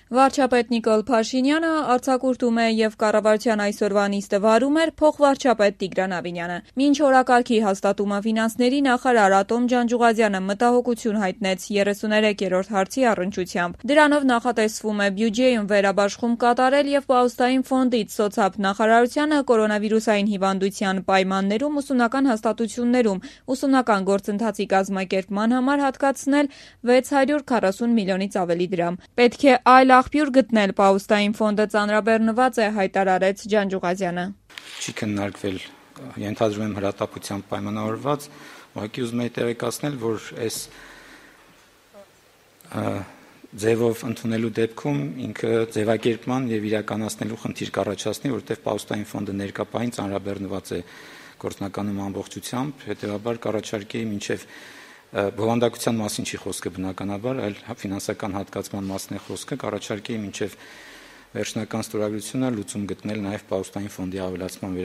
Վարչապետ Նիկոլ Փաշինյանը արձակուրդում է եւ կառավարության այսօրվա նիստը վարում էր փոխվարչապետ Տիգրան Ավինյանը։ Մինչ օրակարգի հաստատումը ֆինանսների նախարար Ատոմ Ջանջուղազյանը մտահոգություն հայտնեց 33-րդ հարցի առնչությամբ։ Դրանով նախատեսվում է բյուջեում վերաբաշխում կատարել եւ Պաուստային ֆոնդից սոցիալ նախարարությանը կորոնավիրուսային հիվանդության պայմաններում ուսումնական հաստատություններում ուսումնական գործընթացի կազմակերպման համար հատկացնել 640 միլիոնից ավելի դրամ։ Պետք է այլ աղբյուր գտնել Պաուստային ֆոնդը ծանրաբեռնված է, հայտարարեց Ջանջուղազյանը։ Չի քննարկվել, ենթադրում եմ հրատապությամբ պայմանավորված, ուղղակի ուզում եի տեղեկացնել, որ այս ձևով ընդունելու դեպքում ինքը ձևակերպման եւ իրականացնելու խնդիր կառաջացնի, որովհետեւ Պաուստային ֆոնդը ներկայապահին ծանրաբեռնված է գործնականում ամբողջությամբ, հետեւաբար կառաջարկեի մինչեւ բովանդակության մասին չի խոսքը բնականաբար, այլ ֆինանսական հատկացման մասն է խոսքը, կառաջարկեի մինչև վերջնական ստորագրությունը լուծում գտնել նաև Պաուստային ֆոնդի ավելացման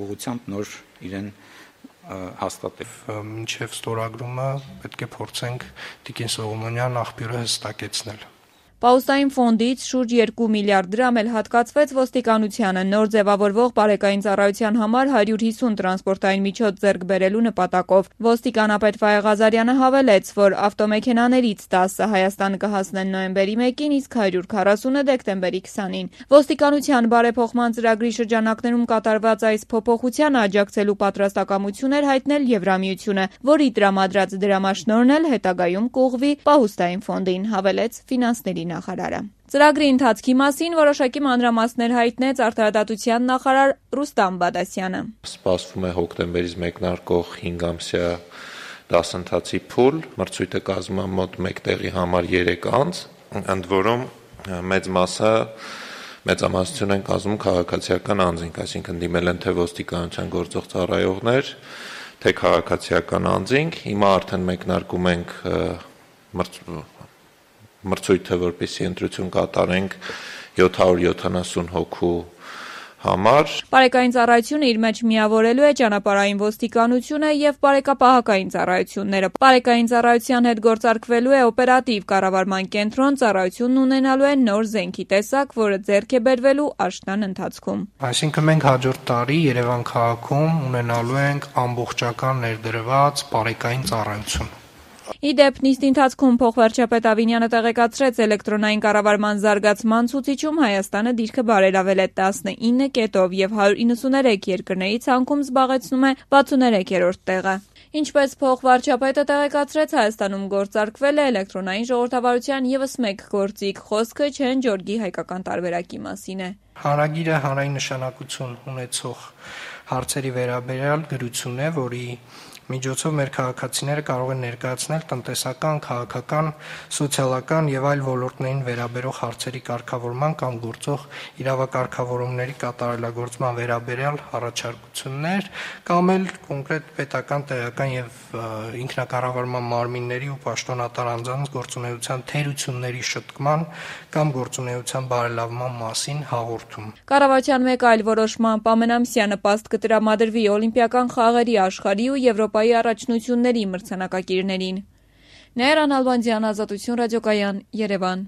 ուղղությամբ նոր իրեն հաստատել։ Մինչև ստորագրումը պետք է փորձենք Տիկին Սողոմոնյան աղբյուրը հստակեցնել։ Պաուստային ֆոնդից շուրջ 2 միլիարդ դրամ էլ հատկացվեց ոստիկանությանը նոր ձևավորվող բարեկային ծառայության համար 150 տրանսպորտային միջոց ձեռք բերելու նպատակով։ Ոստիկանապետ Վայե Ղազարյանը հավելեց, որ ավտոմեքենաներից 10-ը Հայաստան կհասնեն նոյեմբերի 1-ին, իսկ 140-ը դեկտեմբերի 20-ին։ Ոստիկանության բարեփոխման ծրագրի շրջանակներում կատարված այս փոփոխությանը աջակցելու պատրաստակամություն էր հայտնել Եվրամիությունը, որի տրամադրած դրամաշնորհն էլ հետագայում կուղղվի Պաուստային ֆոնդին, հավելեց ֆինանսների նախարարը։ Ծրագրի ընթացքի մասին որոշակի մանրամասներ հայտնեց արդարադատության նախարար Ռուստամ Բադասյանը։ Սպասվում է հոկտեմբերից մեկնարկող 5 ամսյա դասընթացի փուլ, մրցույթը կազմում է մոտ 1 տեղի համար 3 անձ, ընդ որում մեծ մասը մեծամասնություն են կազմում քաղաքացիական անձինք, այսինքն դիմել են թե ոստիկանության գործող ծառայողներ, թե քաղաքացիական անձինք։ Հիմա արդեն մեկնարկում ենք մրցույթը, որպեսզի ընտրություն կատարենք 770 հոգու համար։ Բարեկային ծառայությունը իր մեջ միավորելու է ճանապարհային ոստիկանությունը եւ բարեկապահական ծառայությունները։ Բարեկային ծառայության հետ գործարկվելու է օպերատիվ կառավարման կենտրոն, ծառայությունն ունենալու է նոր զենքի տեսակ, որը ձեռք է բերվելու աշնան ընթացքում։ Այսինքն մենք հաջորդ տարի Երևան քաղաքում ունենալու ենք ամբողջական ներդրված բարեկային ծառայություն։ Իդեպ նիստի ընթացքում փոխվարչապետ Ավինյանը տեղեկացրեց էլեկտրոնային կառավարման զարգացման ցուցիչում Հայաստանը դիրքը բարելավել է 19 կետով եւ 193 երկրների ցանկում զբաղեցնում է 63-րդ տեղը։ Ինչպես փոխվարչապետը տեղեկացրեց, Հայաստանում գործարկվել է էլեկտրոնային ժողովրդավարության եւս մեկ գործիք, խոսքը Չեն Ջորգի հայկական տարբերակի մասին է։ Հարագիրը հանրային նշանակություն ունեցող հարցերի վերաբերյալ գրություն է, որի միջոցով մեր քաղաքացիները կարող են ներկայացնել տնտեսական, քաղաքական, սոցիալական եւ այլ ոլորտներին վերաբերող հարցերի կարգավորման կամ գործող իրավակարգավորումների կատարելագործման վերաբերյալ առաջարկություններ կամ էլ կոնկրետ պետական, տեղական եւ ինքնակառավարման մարմինների ու պաշտոնատար անձանց գործունեության թերությունների շտկման կամ գործունեության բարելավման մասին հաղորդում։ Կառավարության մեկ այլ որոշմամբ ամենամսյա նպաստ կտրամադրվի Օլիմպիական խաղերի աշխարհի ու Եվրոպայի առաջնությունների մրցանակակիրներին։ Նեյրան Ալբանդյան, Ազատություն ռադիոկայան, Երևան։